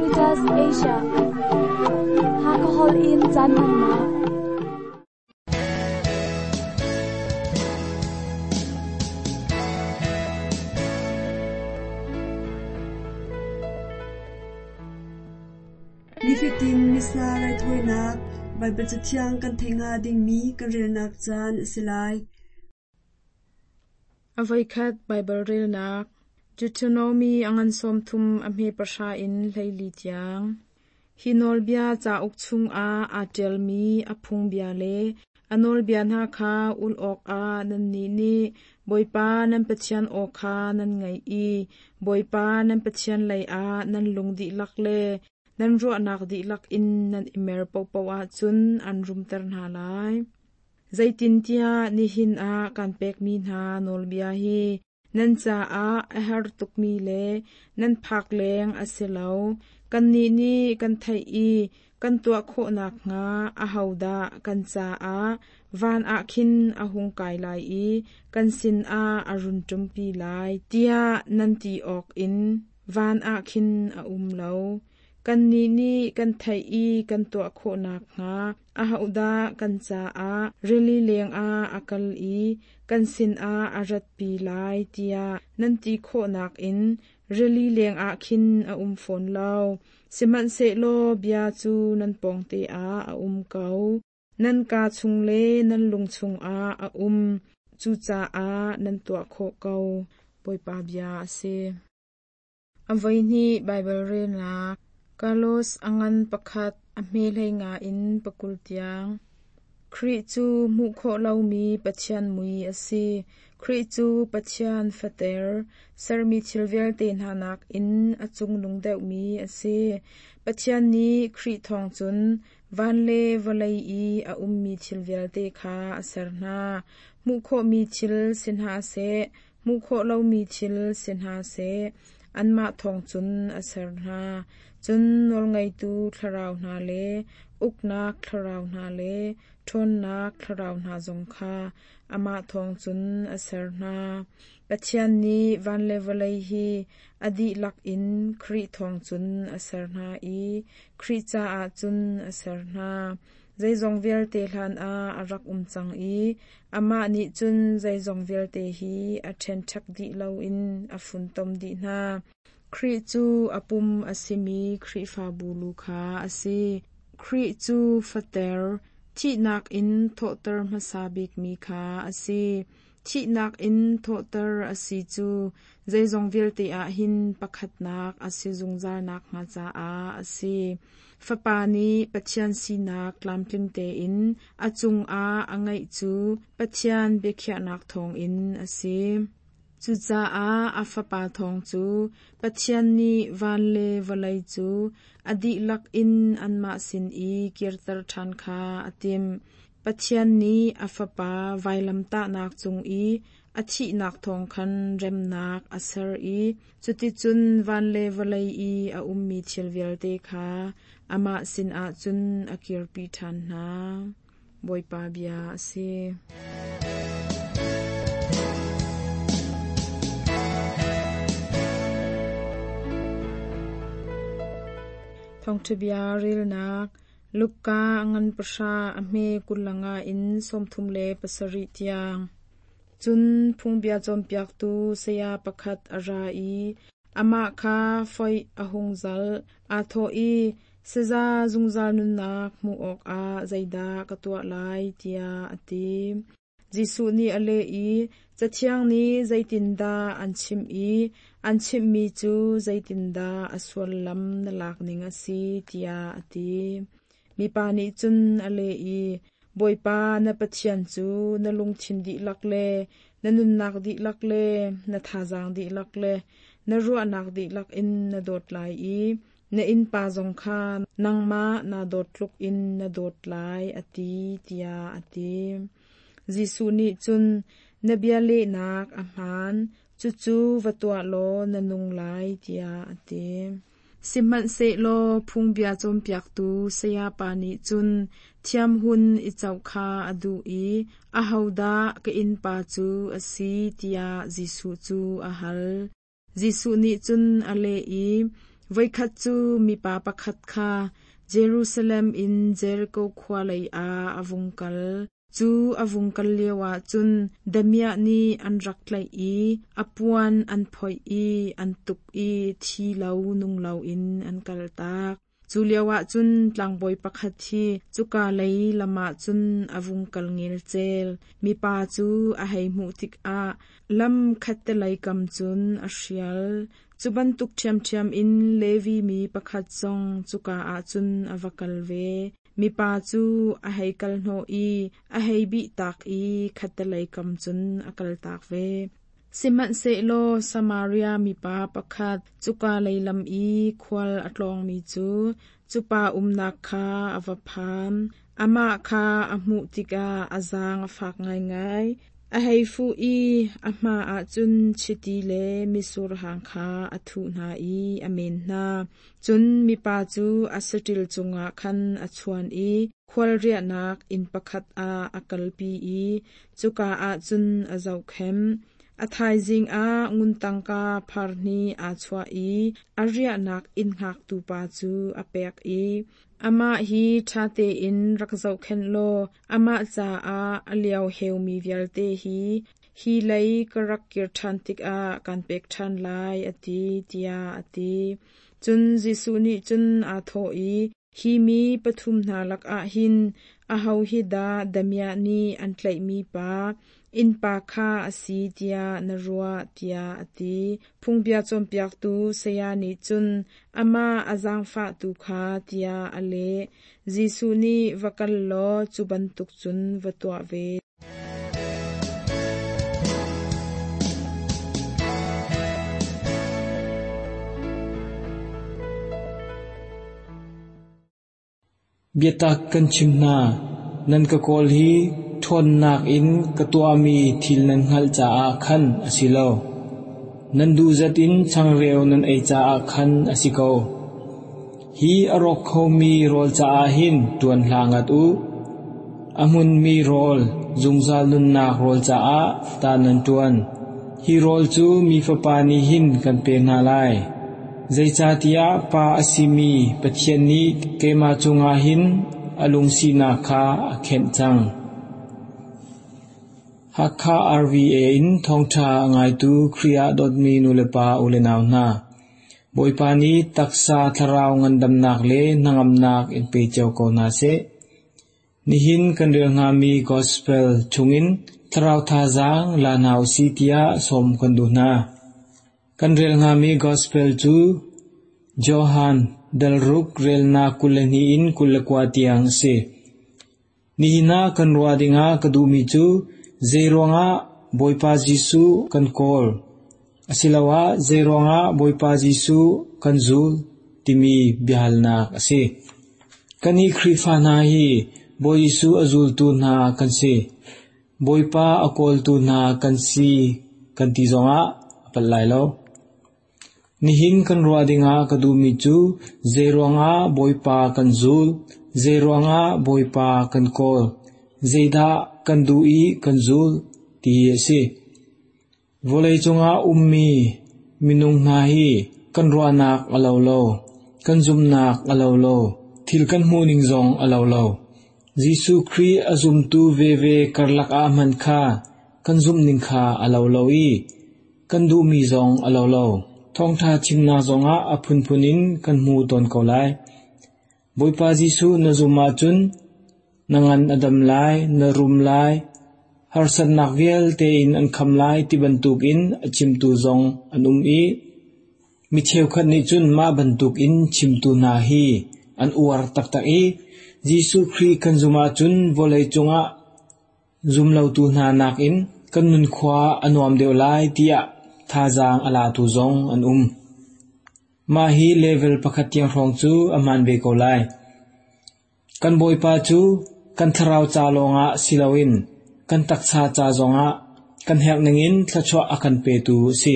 Reuters Asia. Hakha holh in caan hmannak. Nifatin Missa raithawinak Baibal Cathiang kan theih hnga dingmi kan relnak caan a si lai. A voikhat Baibal relnak Deuteronomy a ngan 30 a hme 10 in 14 tiang. Hi nawlbia cauk chungah aa ṭialmi a phungbia le a nawlbia hna kha ulh awkah nannih nih Bawipa nan Pathian aw kha nan ngaih i Bawipa nan Pathian leiah nan lung dihlak le nan ruahnak dihlak in nan i mer paohpaoh ahcun an rumter hna lai. Zeitintiah nihin ah kan pekmi hna nawlbia hi nan caah a har tukmi le nan phak leng a si lo. Kannih nih kan theih i kan tuah khawh nakhnga ahodah kan caah van ah khin a hung kai lai i kan sinah a run ṭumpi lai, tiah nan ti awkin van ah khin a um lo. Kannih nih kan theih i kan tuah khawh nakhnga ahodah kan caah rili lengah a kal i kan sinah a ratpi lai tiah nan ti khawh nakin rili lengah khin a um fawn lo. Sihmanhsehlaw bia cu nan pawngte ah a um ko. Nan kaa chung le nan lung chungah a um. Cucaah nan tuah khawh ko. Bawipa bia a si. A voihnih Baibal relnak Carlos a ngan pakhat a hme 15 in 20 tiang. Khrih cu hmuh khawh lomi Pathian mui a si. Khrih cu Pathian fater, sermi thil vialte hna nakin a cungnung deuhmi a si. Pathian nih Khrih thawng cun van le vawlei i a ummi thil vialte kha a ser hna. Hmuh khawhmi thil si hna seh, hmuh khawh lomi thil si hna seh, anmah thawng cun a ser hna. Cun nawlngeitu thlarau hna le uknak thlarau hna le ṭhawnnak thlarau hna zong kha amah thawng cun a ser hna. Pathian nih van le vawlei hi a dihlak in Khrih thawng cun a ser hna i Khrih caah cun a ser hna. Zeizong vialte hlanah a rak um cang i amah nih cun zeizong vialte hi a ṭhenṭhek dih loin a funtom dih hna. Khrih cu a pum a simi Khrihfabu lu kha a si. Khrih cu fater, thihnak in thawhter hmasa bikmi kha a si. Thihnak in thawhter a si cu zeizong vialte ah hin pakhatnak a si zungzal nakhnga caah a si. Fapa nih Pathian sinak tlamtling tein a cungah a ngeih cu Pathian biakhiahnak thawngin a si. Cucaah a Fapa thawng cu Pathian nih van le vawlei cu a dihlak in anmah sin i kirter ṭhan kha a timh. Pathian nih a Fapa vailamtahnak cung i a thihnak thawng khan remnak a ser i cuticun van le vawlei i a ummi thil vialte kha amah sinah cun a kirpi ṭhan hna. Bawipa bia a si. Thawngṭha bia relnak Luka a ngan 10 a hme 25 in 37 tiang. Cun phungbia cawnpiaktu saya pakhat a ra i amah kha foih a hung zalh. Aa thawh i, Saza zungzal nunnak hmuh awkah zeidah ka tuah lai, tiah a ti. Jesuh nih a leh i, Cathiang nih zeitindah an chimh i an chimhmi cu zeitindah a sullam na lak ning a si, tiah a ti. Mipa nih cun a leh i, Bawipa na Pathian cu na lungthin dihlak le na nunnak dihlak le na thazaang dihlak le na ruahnak dihlak in na dawt lai i na innpa zong kha nangmah naa dawt tluk in na dawt lai, a ti, tiah a ti. Jesuh nih cun, Na bia lehnak a hmaan, cucu va tuah law na nung lai, tiah a ti. Sihmanhsehlaw phungbia cawnpiaktu sayapa nih cun thiamhun i coh kha a duh i ahodah ka innpa cu a si tiah Jesuh cu a hal. Jesuh nih cun a leh i, Voikhat cu mipa pakhat kha Jerusalem in Jeriko khua lei ah a vung kal. Cu a vung kal lioah cun damiah nih an rak tlaih i a puan an phoih i an tuk i thi lo nung loin an kaltak. Cu lioah cun tlangbawi pakhat hi cuka lei lam ah cun a vung kal ngelcel. Mipa cu a hei hmuh tikah lam khattelei kam cun a hrial. Cu bantuk ṭhiamṭhiam in Levi mi pakhat zong cuka ah cun a va kal ve. Mipa cu a hei kal hnawh i a hei bihtak i khattelei kam cun a kaltak ve. Sihmanhsehlaw Samaria mipa pakhat cuka lei lam i khual a tlawngmi cu cu pa umnak kha a va phan. Amah kha a hmuh tikah a zaang a fak ngaingai. A hei fuh i a hma ah cun chiti le mitsur hang kha a thuh hna i a men hna. Cun mipa cu a saṭil cungah khan a chuan i khualriahnak inn pakhat ah a kalpi i cuka ah cun a zohkhenh. A thaizing ah ngun tangka phar hnih aa chuah i a riahnak inn hngaktu pa cu a pek i, Amah hi ṭha tein rak zohkhenh law amah caah a lio heumi vialte hi hi lei ka rak kir ṭhan tikah kaan pek ṭhan lai, a ti, tiah a ti. Cun Jesuh nih cun aa thawh i, Hi mi pathum hna lakah hin aho hi dah damiah nih an tlaihmi pa, innpa kha a si tiah na ruah, tiah a ti. Phungbia cawnpiaktu saya nih cun amah a zaangfahtu kha tiah a leh. Jesuh nih va kal law cu bantuk cun va tuah ve. Biatak kan chim hna, nan ka kawl hi ṭhawnnak in ka tuahmi thil nan hngalh caah khan a si lo. Nan duhzat in changreu nan ei caah khan a si ko. Hi a rawk khomi rawl caah hin ṭuan hlah ngat u. A hmunmi rawl, zungzal nunnak rawl caah ta nan ṭuan. Hi rawl cu mi Fapa nih hin kan pek hna lai. Zeicahtiah Pa a simi Pathian nih keimah cungah hin a lungsinak kha a khenh cang. Hakha RVA in thawngṭha a ngaitu Khrih ah dawtmi nulepa ulenau hna, Bawipa nih taksa thlarau ngandamnak le hnangamnak in pe cio ko hna seh. Nihin kan rel hngami Gospel chungin thlarau thazaang la hna usih tiah sawm kan duh hna. Kan rel hngami Gospel cu Johan dalruk relnak 22 in 29 tiang a si. Nihin ah kan ruah dingah ka duhmi cu zeiruangah Bawipa Jesuh kan kawl asiloah zeiruangah Bawipa Jesuh kan zul timi biahalnak a si. Kannih Khrihfa hna hi Bawi Jesuh a zultu hna kan si. Bawipa a kawltu hna kan si kan ti zongah a palh lai lo. Nihin kan ruah dingah ka duhmi cu zeiruangah Bawipa kan zul, zeiruangah Bawipa kan kawl, zeidah kan duh i kan zul ti hi a si. Vawlei cungah ummi minung hna hi kan ruahnak a lo lo, kan zumhnak a lo lo, thil kan hmuhning zong a lo lo. Jesuh Khrih a zumtu veve karlak ah hmanh kha kan zumhning kha a lo lo i kan duhmi zong a lo lo. Thawngṭha chimnak zongah a phunphun in kan hmu tawn ko lai. Bawipa Jesuh na zum ahcun na ngan a dam lai, na rum lai, harsatnak vialte in an kham lai ti bantukin a chimtu zong an um i mi cheukhat nih cun mah bantukin chimtu hna hi an uar taktak i Jesuh Khrih kan zum ahcun vawlei cungah Zumlotu hna nakin kan nunkhua a nuam deuh lai tiah thazaang a latu zong an um. Mah hi level pakhat tiang hrawng cu a hmaan ve ko lai. Kan Bawipa cu kan thlarau ca lawngah si loin kan taksa ca zongah kan herh ningin thluachuah a kan petu a si.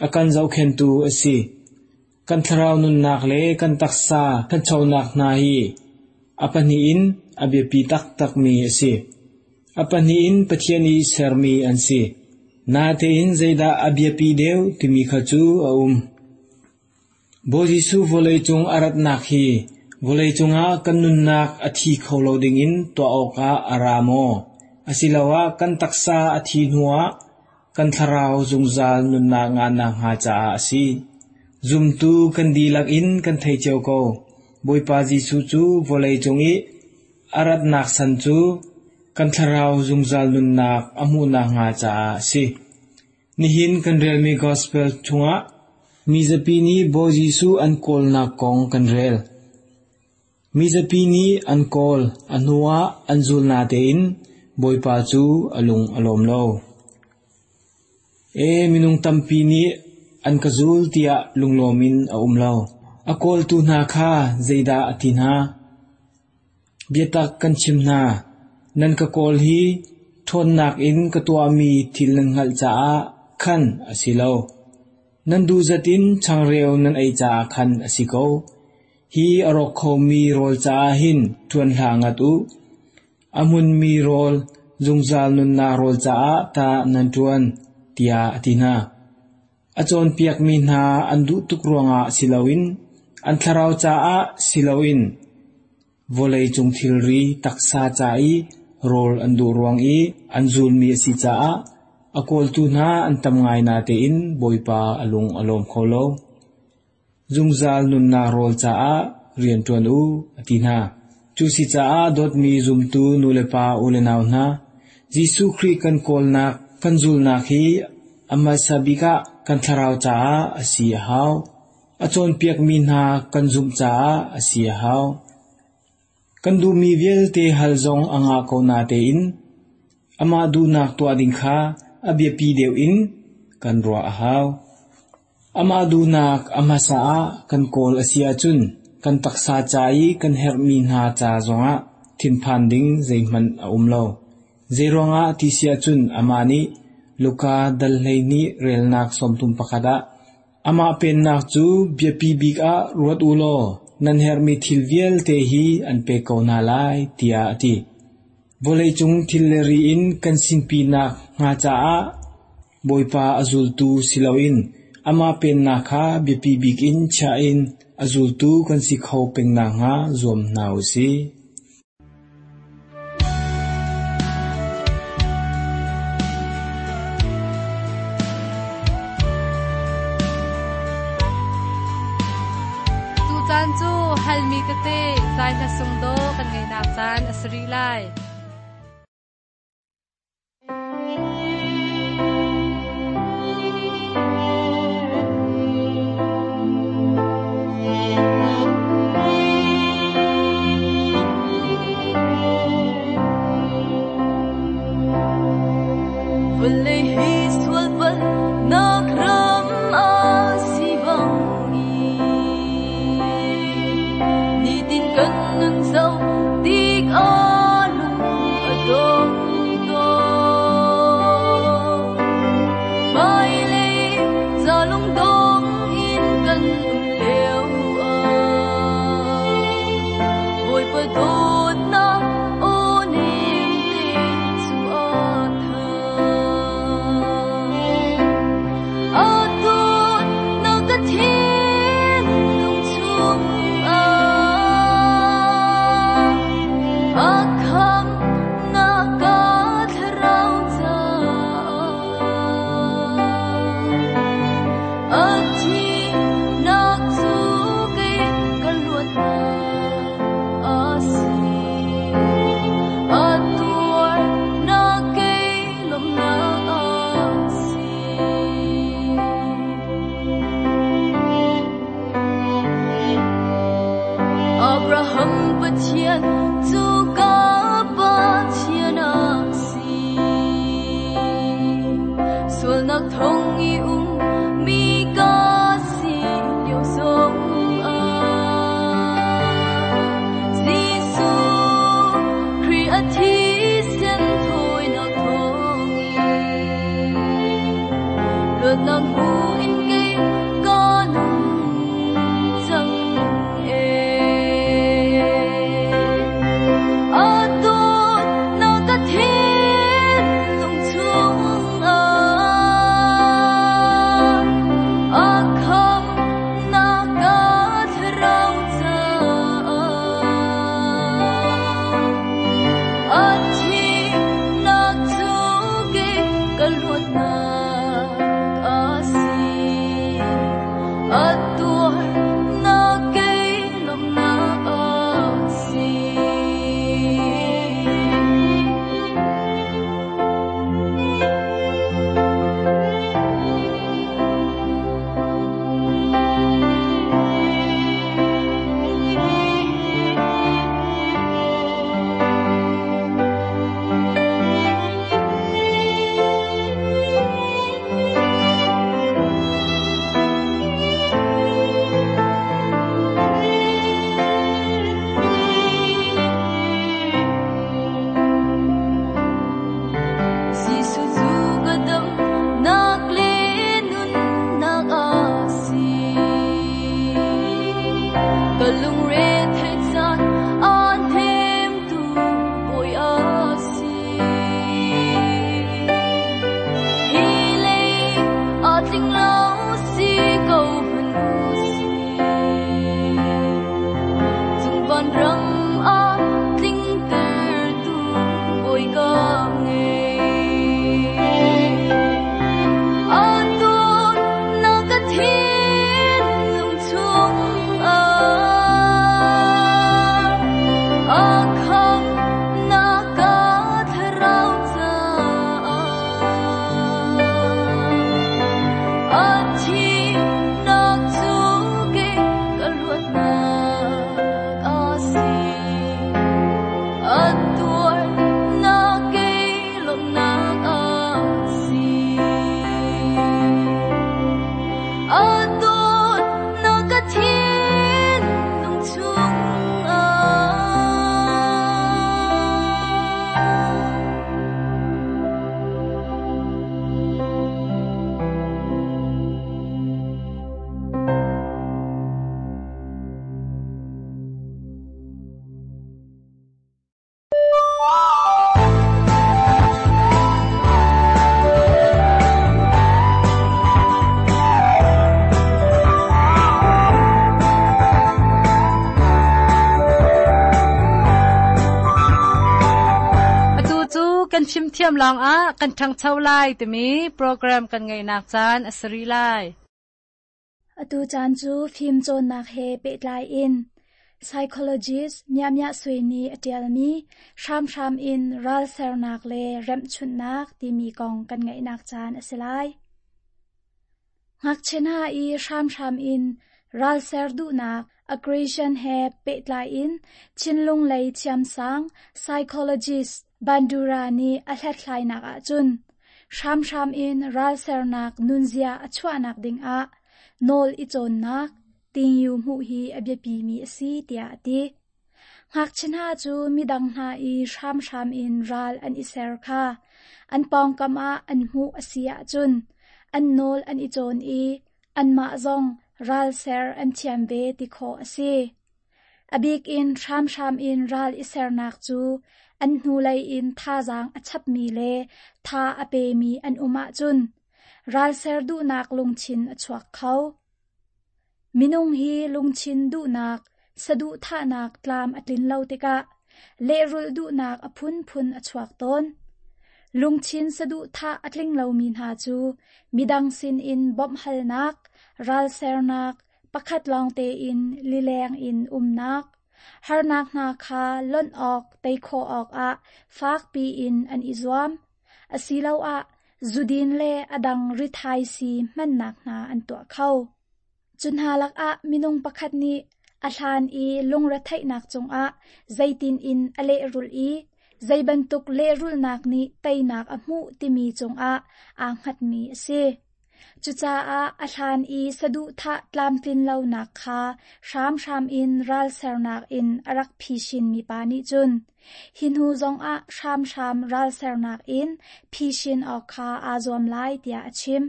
A kan zohkhentu a si. Kan thlarau nunnak le kan taksa ṭhanchonak hna hi a pahnih in a biapi taktakmi a si. A pahnih in Pathian i sermi an si. Natein zeidah a biapi deuh timi kha cu a um. Bawi Jesuh vawleicung a ratnak hi vawleicung ah kan nunnak a thi kho lo dingin tuah awkah a ra maw? Asiloah kan taksa a thi hnuah kan thlarau zungzal nunnak ngah nakhnga caah a si. Zumtu kan dihlak in kan thei cio ko. Bawipa Jesuh cu vawleicung i a ratnak san cu kan thlarau zungzal nunnak a hmuh nakhnga caah a si. Nihin kan relmi Gospel chungah mizapi nih Bawi Jesuh an kawlnak kong kan rel. Mizapi nih an kawl, a hnuah an zul natein Bawipa cu a lung a lawm lo. E minung tampi nih an ka zul tiah lunglawm in a um lo. A kawltu hna kha zeidah a ti hna? Biatak kan chim hna, nan ka kawl hi ṭhawnnak in ka tuahmi thil nan hngalh caah khan a si lo. Nan duhzat in changreu nan ei caah khan a si ko. Hi a rawk khomi rawl caah hin ṭuan hlah ngat u. A hmunmi rawl, zungzal nunnak rawl caah tah nan ṭuan, tiah a ti hna. A cawnpiakmi hna an duh tuk ruangah si loin an thlarau caah si loin vawleicung thilri taksa ca i rawl an duh ruang i an zulmi a si caah a kawltu hna an tam ngai natein Bawipa a lung a lawm kho lo. Zungzal nunnak rawl caah rian ṭuan u, a ti hna. Cu si caah dawtmi zumtu nulepa ulenau hna, Jesuh Khrih kan kawlnak, kan zulnak hi a hmasa bik ah kan thlarau caah a si a hau. A cawnpiakmi hna kan zumh caah a si a hau. Kan duhmi vialte hal zong a ngah ko natein amah duhnak tuah ding kha a biapi deuh in kan ruah a hau. Amah duhnak a hmasa ah kan kawl a si ahcun kan taksa ca i kan herhmi hna ca zongah thinphan ding zeihmanh a um lo. Zeiruangah ti si ahcun amah nih Luka dal 12 relnak 31 ah amah pennak cu biapi bik ah ruat u law nan herhmi thil vialte hi an pek ko hna lai tiah a ti. Vawleicung thil le ri in kan sinpinak hnga caah Bawipa a zultu si loin amah pennak kha biapi bik in chiah in a zultu kan si kho peng nakhnga zuam hna u sih. Tucaan cu halmi tete zai hla sung daw kan ngeihnak caan a si rih lai. Vawlei hi sual palhnak ram a si bangin nitin kan nun zoh tik ah lung a dong tawn. Hmailei ca lungdong in kan um lio ah Bawipa dawtnak aw nem te cu a tha. A dawtnak ka thinlung chungah a khamnak ka thlarau caah a thihnak cu kei ka luatnak a si. A tuarnak kei lawmhnak a si. Abraham Pathian cu ka Pathian a si. Sualnak thong i um mi ka si lio zongah Jesuh Khrih a thisen thawinak thawngin luatnak hmu in kei ka nung cang ee. A dawtnak ka thinlung chungah kan fimthiam lawngah kan ṭhangcho lai timi program kan ngeihnak caan a si rih lai. Atu caan cu fimcawnnak he pehtlai in psychologist Mya Mya Sui nih a ṭialmi hramhram in ralsernak le remhchunhnak timi kong kan ngaihnak caan a si lai. Ngakchia hna i hramhram in ralser duhnak aggression he pehtlai in thinlung lei thiamsang psychologist Bandura nih a hlathlainak ahcun hramhram in ralsernak nunzia a chuahnak dingah nawl i cawnnak tingyu hmuh hi a biapimi a si tiah a ti. Ngakchia hna cu midang hna i hramhram in ral an i ser kha an pawngkam ah an hmuh a si ahcun an nawl an i cawn i anmah zong ral ser an thiam ve ti khawh a si. A bik in hramhram in ral i sernak cu an hnulei in thazaang a chapmi le tha a pemi an um ahcun ralser duhnak lungthin a chuak kho. Minung hi lungthin duhnak, saduhthahnak tlam a tlin lo tikah lehrulh duhnak a phunphun a chuak tawn. Lungthin saduhthah a tling lomi hna cu midang sinin bawmhhalnak, ralsernak, pakhat lawng tein lileng in umnak, harnak hna kha lonh awk, tei khawh awkah fakpi in an i zuam, asiloah zudin le a dang rithaisii hmannak hna an tuah kho. Cu hna lakah minung pakhat nih a hlan i lungretheihnak cungah zeitin in a lehrulh i zei bantuk lehrulhnak nih teinak a hmuh timi cungah aa hngatmi a si. Cucaah a hlan i saduhthah tlamtlin lonak kha hramhram in ralsernak in a rak phisin mipa nih cun hi hnu zongah hramhram ralsernak in phisin awk kha aa zuam lai tiah a chim.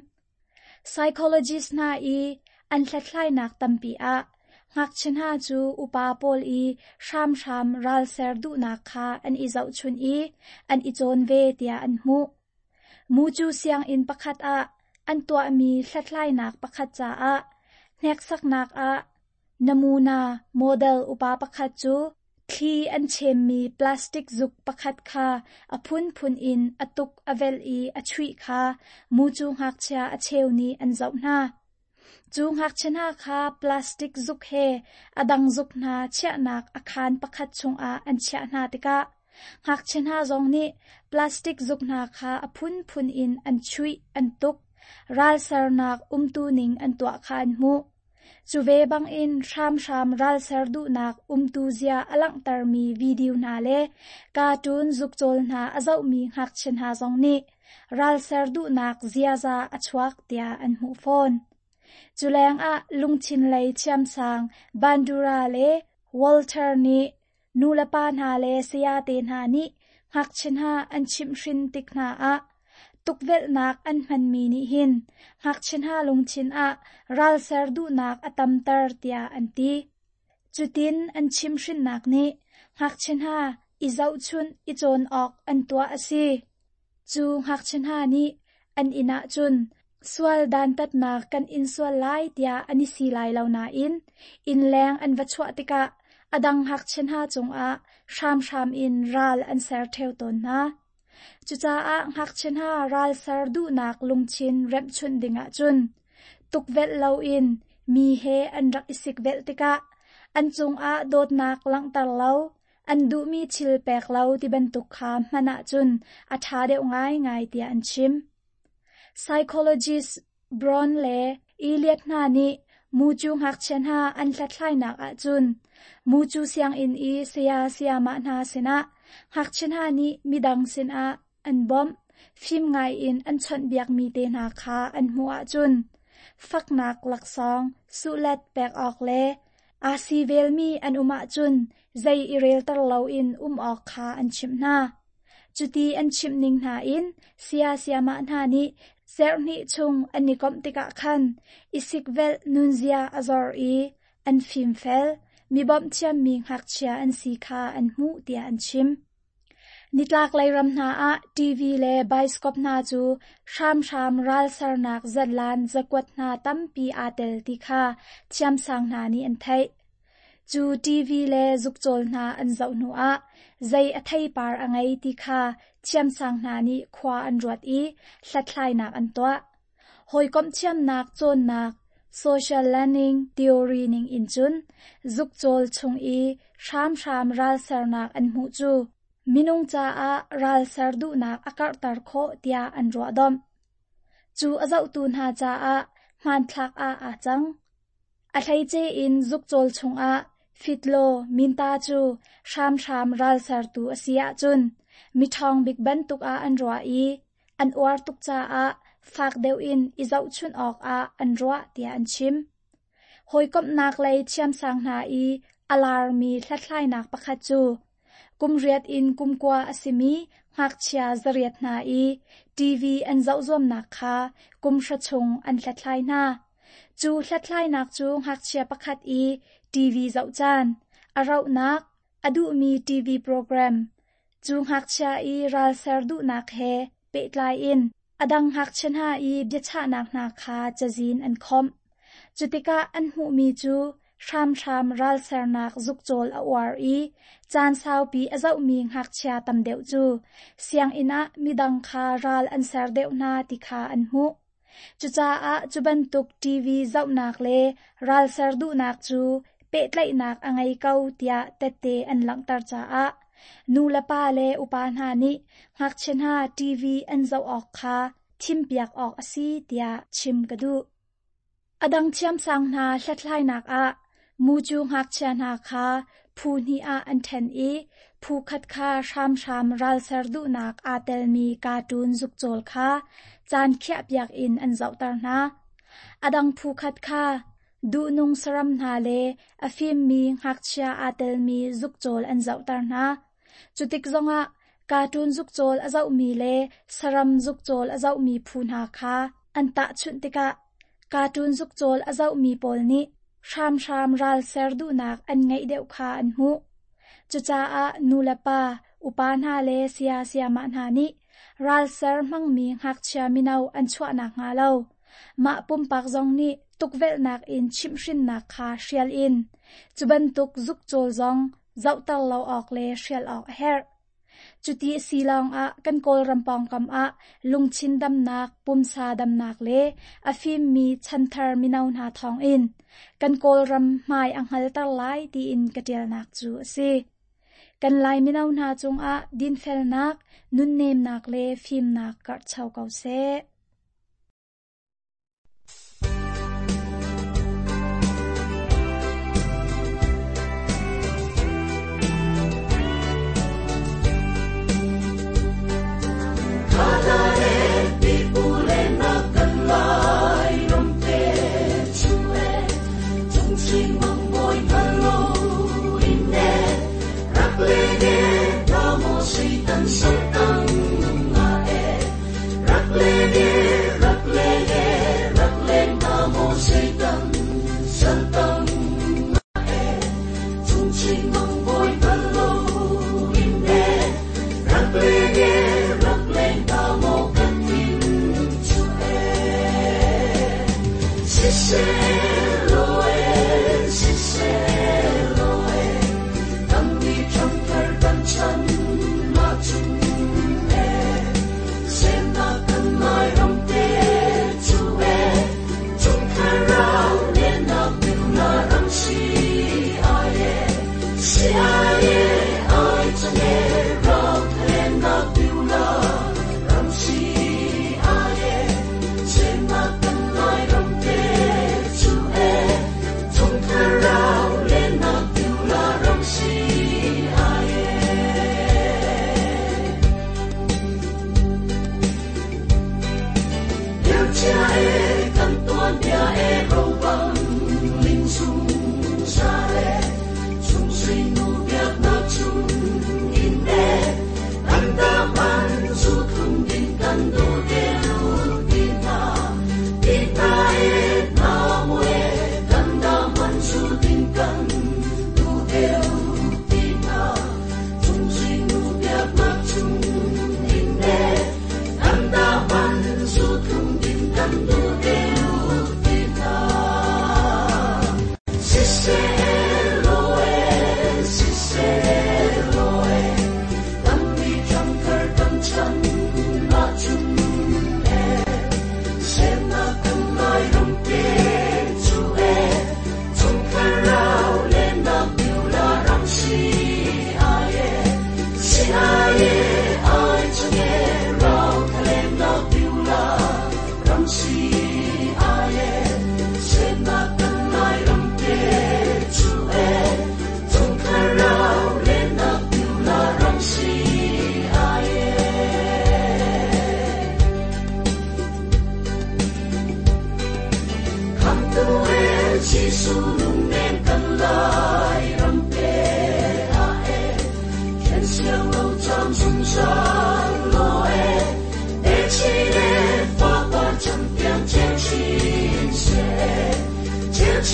Psychologist hna i an hlathlainak tampi ah ngakchia hna cu upa pawl i hramhram ralser duhnak kha an i zohchunh i an i cawn ve tiah an hmuh. Mucu sianginn pakhat ah an tuahmi hlathlainak pakhat caah hneksaknak ah namuna model upa pakhat cu thli an chemmi plastic zuk pakhat kha a phunphun in a tuk a velh i a chuih kha mucu ngakchia a cheu nih an zoh hna. Cu ngakchia hna kha plastic zuk he a dang zuk hna chiahnak a khaan pakhat chungah an chiah hna tikah ngakchia hna zong nih plastic zuk hna kha a phunphun in an chuih an tuk, ralsernak umtuning an tuah kha an hmuh. Cu ve bangin hramhram ralser duhnak umtu zia a langhtermi video hna le cartoon zukcawl hna a zohmi ngakchia hna zong nih ralser duhnak ziaza a chuak tiah an hmuh fawn. Cu lengah lungthin lei thiamsang Bandura le Walter nih nulepa hna le sayate hna nih ngakchia hna an chimhhrin tik hna ah tukvelhnak an hmanmi nih hin ngakchia hna lungthin ah ralser duhnak a tamter tiah an ti. Cutin an chimhhrinnak nih ngakchia hna i zohchunh i cawn awk an tuah a si. Cu ngakchia hna nih an inn ah cun sual dantatnak kan in sual lai tiah an i si lai lo nain innleng an va chuah tikah a dang ngakchia hna cungah hramhram in ral an ser ṭheo tawn hna. Cucaah ngakchia hna ral ser duhnak lungthin remhchunh dingah cun tukvelh loin mi he an rak i sikvelh tikah an cungah dawtnak langhter lo, an duhmi thil pek lo ti bantuk kha hman ahcun a ṭha deuh ngaingai tiah an chim. Psychologist Brown le Elliot hna nih mucu ngakchia hna an hlathlainak ahcun mucu sianginn i saya sayamah hna sinah ngakchia hna nih midang sinah an bawmh, fim ngaiin an chawnhbiakmi te hna kha an hmuh ahcun faknak laksawng suhlet pek awk le aa si velmi an um ahcun zei i relter loin um awk kha an chimh hna. Cuti an chimh ning hna in saya sayamah hna nih serhnih chung an i komh tikah khan i sikvelh nunzia a zor i an fimfel, mi bawmh thiammi ngakchia an si kha an hmuh tiah an chim. Nitlaklei ram hna ah TV le baiskop hna cu hramhram ralsernak zatlan zakuat hna tampi aa tel ti kha thiamsang hna nih an theih. Cu TV le zukcawl hna an zoh hnuah zei a theipar a ngei ti kha thiamsang hna nih khua an ruat i hlathlainak an tuah. Hawikomh thiamnak cawnnak social learning theory ning in cun zukcawl chung i hramhram ralsernak an hmuh cu minung caah ralser duhnak a karhter khawh tiah an ruahdomh. Cu a zohtu hna caah hmanthlak ah aa cang. A hleice in zukcawl chungah fitlaw minta cu hramhram ralsertu a si ahcun miṭhawng bik bantuk ah an ruah i an uar tuk caah fak deuh in i zohchunh awkah an ruah tiah an chim. Hawikomhnak lei thiamsang hna i a larmi hlathlainak pakhat cu kum riat in kum kua a simi ngakchia 800 hna i TV an zoh zuamnak kha kum hra chung an hlathlai hna. Cu hlathlainak cu ngakchia pakhat i TV zoh caan, a rauhnak, a duhmi TV program, cu ngakchia i ralser duhnak he pehtlai in a dang ngakchia hna i biachahnak hna kha cazin an khawmh. Cu tikah an hmuhmi cu hramhram ralsernak zukcawl a uar i caan saupi a zohmi ngakchia tam deuh cu sianginn ah midang kha ral an ser deuh hna ti kha an hmuh. Cucaah cu bantuk TV zohnak le ralser duhnak cu pehtlaihnak a ngei ko tiah tette an langhter caah nu le pa le upa hna nih ngakchia hna TV an zoh awk kha thimpiak awk a si tiah chim ka duh. A dang thiamsang hna hlathlainak ah mucu ngakchia hna kha phu hnih ah an ṭhen i phu khat kha hramhram ralser duhnak aa telmi cartoon zukcawl kha caan khiahpiak in an zohter hna. A dang phu khat kha duhnung saram hna le a fimmi ngakchia aa telmi zukcawl an zohter hna. Cutik zongah cartoon zukcawl a zohmi le saram zukcawl a zohmi phu hna kha an tahchunh tikah cartoon zukcawl a zohmi pawl nih hramhram ralser duhnak an ngeih deuh kha an hmuh. Cucaah nulepa, upa hna le saya sayamah hna nih ralser hmangmi ngakchia mino an chuahnak hnga lo, mah pumpak zong nih tukvelhnak in chimhhrinnak kha hrial in cu bantuk zukcawl zong zohter lo awk le hrial awk a herh. Cuti a si lawngah kan Kawlram pawngkam ah lungthin damnak, pumsa damnak le a fimmi chanthar mino hna thawngin kan Kawlram hmai a hngalter lai tiin ka ṭialnak cu a si. Kan Lai mino hna cungah dinfelnak, nunnemnak le fimnak karhcho ko seh.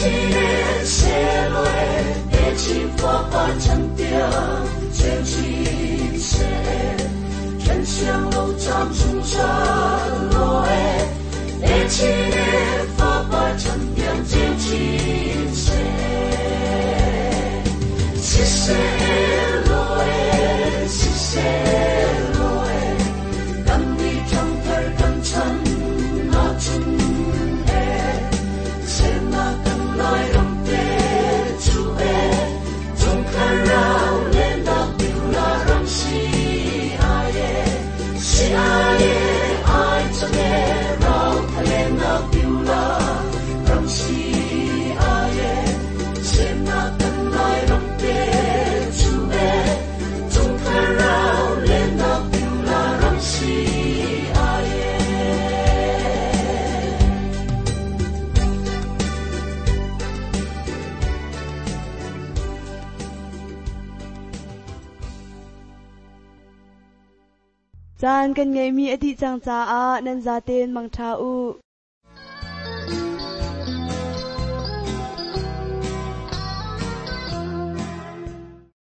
年谢落的起佛法成定，前进谢，天香路长出山落的起佛法成定，前进谢，谢谢落的，谢谢落的，甘你长腿甘成那春的，谢那甘来让得出的，总看绕连那丢那让西阿耶，西阿耶爱着的绕他连那丢那让西阿耶，谢那甘来让得出的，总看绕连那丢那让西阿耶。 Caan kan ngeihmi a dih cang caah nan zaten mangṭha u.